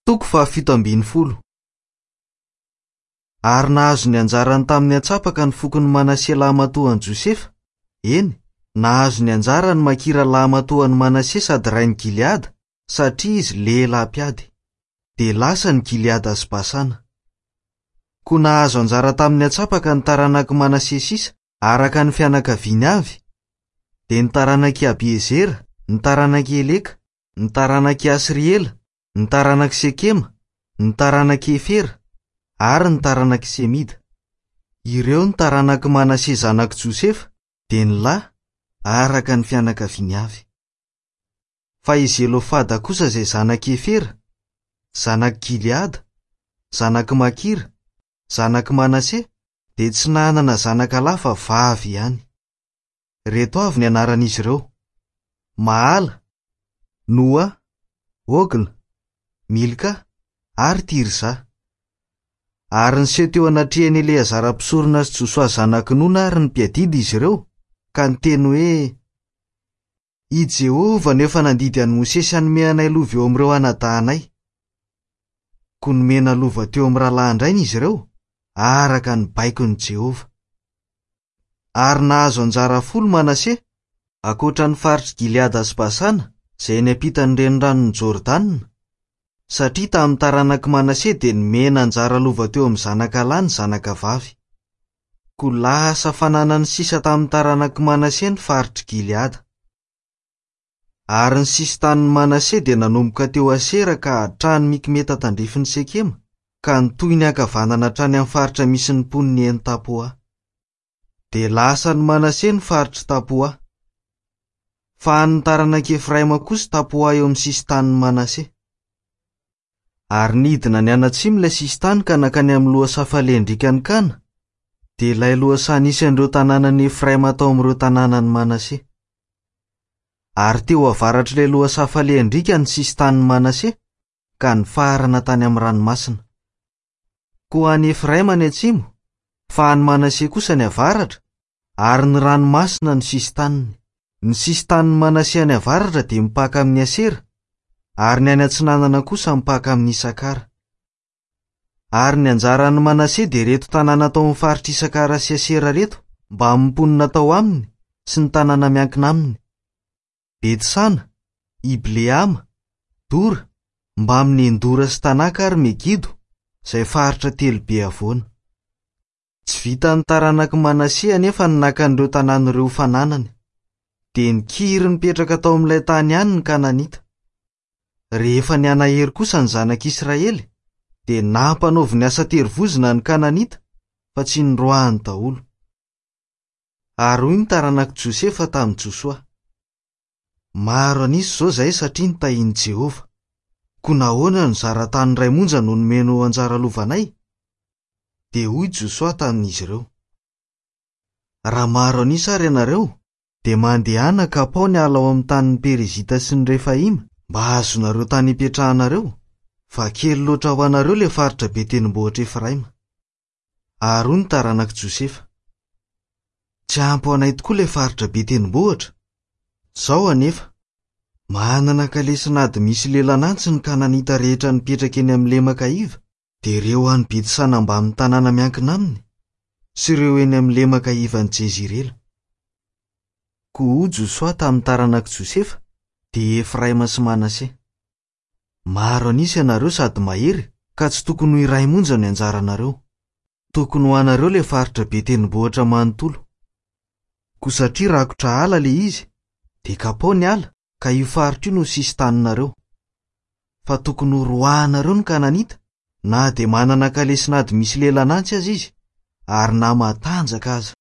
Toko faha-17. Ary nahazo ny anjarany tamin'ny antsapaka ny fokon'i Manase lahimatoan'i Josefa, eny, nahazo ny anjarany Makira lahimatoan'i Manase sady rain'i Gileada, satria izy lehilahy mpiady. Dia lasa ny Gileada sy Basana. Koa nahazo anjara tamin'ny antsapaka ny taranak'i Manase sisa, araka ny fianakaviany avy, dia ny taranak'i Abiezera, ny taranak'i Heleka, ny taranak'i Asriela, ny taranak'i Sekema, ny taranak'i Hefera, ary ny taranak'i Semida. Ireo ny taranak'i Manase zanak'i Josefa, dia ny lahy, araka ny fianakaviany avy. Fa i Zelofada kosa izay zanak'i Hefera, zanak'i Gileada, zanak'i Makira, zanak'i Manase, dia tsy nanana zanaka lahy fa vavy ihany. Ireto avy ny anaran'izy ireo, Mahala, Noa, Hogla, Milka ary Tirza. Ary niseho teo anatrehan'i Eleazara mpisorona sy Josoa zanak'i Nona ary ny mpiadidy izy ireo, ka niteny hoe, I Jehovah no efa nandidy an'i Mosesy hanome anay lova eo amin'ireo anadahinay. Koa nomena lova teo amin'ny rahalahin-drainy izy ireo, araka ny baikon'i Jehovah. Ary nahazo anjara folo Manase, ankoatra ny faritr'i Gileada sy Basana, izay eny ampitan'ny reniranon'i Jordana, satria tamin'ny taranak'i Manase dia nomena anjara lova teo amin'ny zanaka lahy ny zanaka vavy. Koa lasa fananan'ny sisa tamin'ny taranak'i Manase ny faritr'i Gileada. Ary ny sisin-tanin'i Manase dia nanomboka teo Asera ka hatrany Mikmeta tandrifin'i Sekema, ka nitohy niankavanana hatrany amin'ny faritra misy ny mponin'i En-Tapoa. Dia lasan'i Manase ny faritr'i Tapoa. Fa an'ny taranak'i Efraima kosa Tapoa eo amin'ny sisin-tanin'i Manase. Ary nidina nianatsimo ilay sisin-tany ka nankany amin'ny lohasaha falehan-driakan'i Kana, dia ilay lohasaha nisy an'ireo tanànan'i Efraima tao amin'ireo tanànan'i Manase. Ary teo avaratr'ilay lohasaha falehan-driaka ny sisin-tanin'i Manase, ka nifarana tany amin'ny ranomasina. Koa any Efraima ny atsimo, fa any Manase kosa ny avaratra, ary ny ranomasina no sisin-taniny. Ny sisin-tanin'i Manase any avaratra dia mipaka amin'i Asera, ary ny any atsinanana kosa mipaka amin'i Isakara. Ary ny anjaran'i Manase dia ireto tanàna tao amin'ny faritr'i Isakara sy Asera ireto, mbamin'ny mponina tao aminy sy ny tanàna miankina aminy. Betsana, Ibleama, Dora, mbamin'i Endora sy Tanaka ary Megido, izay faritra telo be havoana. Tsy vitan'ny taranak'i Manase anefa ny naka an'ireo tanàna ireo ho fananany. Dia nikiry nipetraka tao amin'ilay tany ihany ny Kananita. Rehefa nihanahery kosa ny zanak'Israely, dia nampanaoviny asa terivozona ny Kananita, fa tsy noroahany daholo. Ary hoy ny taranak'i Josefa tamin'i Josoa, Maro an'isa izao izahay satria notahin'i Jehovah. Koa nahoana no zara-tany iray monja no nomeny ho anjara lovanay? Dia hoy Josoa tamin'izy ireo, Raha maro an'isa àry ianareo, dia mandehana kapao ny ala ao amin'ny tanin'ny Perizita sy ny Refaima, mba hahazoanareo tany hipetrahanareo, fa kely loatra ho anareo ilay faritra be tendrombohitr'i Efraima. Ary hoy ny taranak'i Josefa, Tsy ampy ho anay tokoa ilay faritra be tendrombohitra. Izao anefa, manana kalesin'ady misy lelan'antsy ny Kananita rehetra nipetraka eny amin'ny lemaka iva, dia ireo any Betsana mbamin'ny tanàna miankina aminy, sy ireo eny amin'ny lemaka ivan'i Jezirela. Koa hoy Josoa tamin'ny taranak'i Josefa, dia Efraima sy Manase, Maro an'isa ianareo sady mahery, ka tsy tokony ho iray monja ny anjaranareo. Tokony ho anareo ilay faritra be tendrombohitra manontolo. Koa satria rakotra ala ilay izy, dia kapao ny ala, ka io faritra io no sisin-taninareo. Fa tokony horoahanareo ny Kananita, na dia manana kalesin'ady misy lelan'antsy aza izy, ary na matanjaka aza.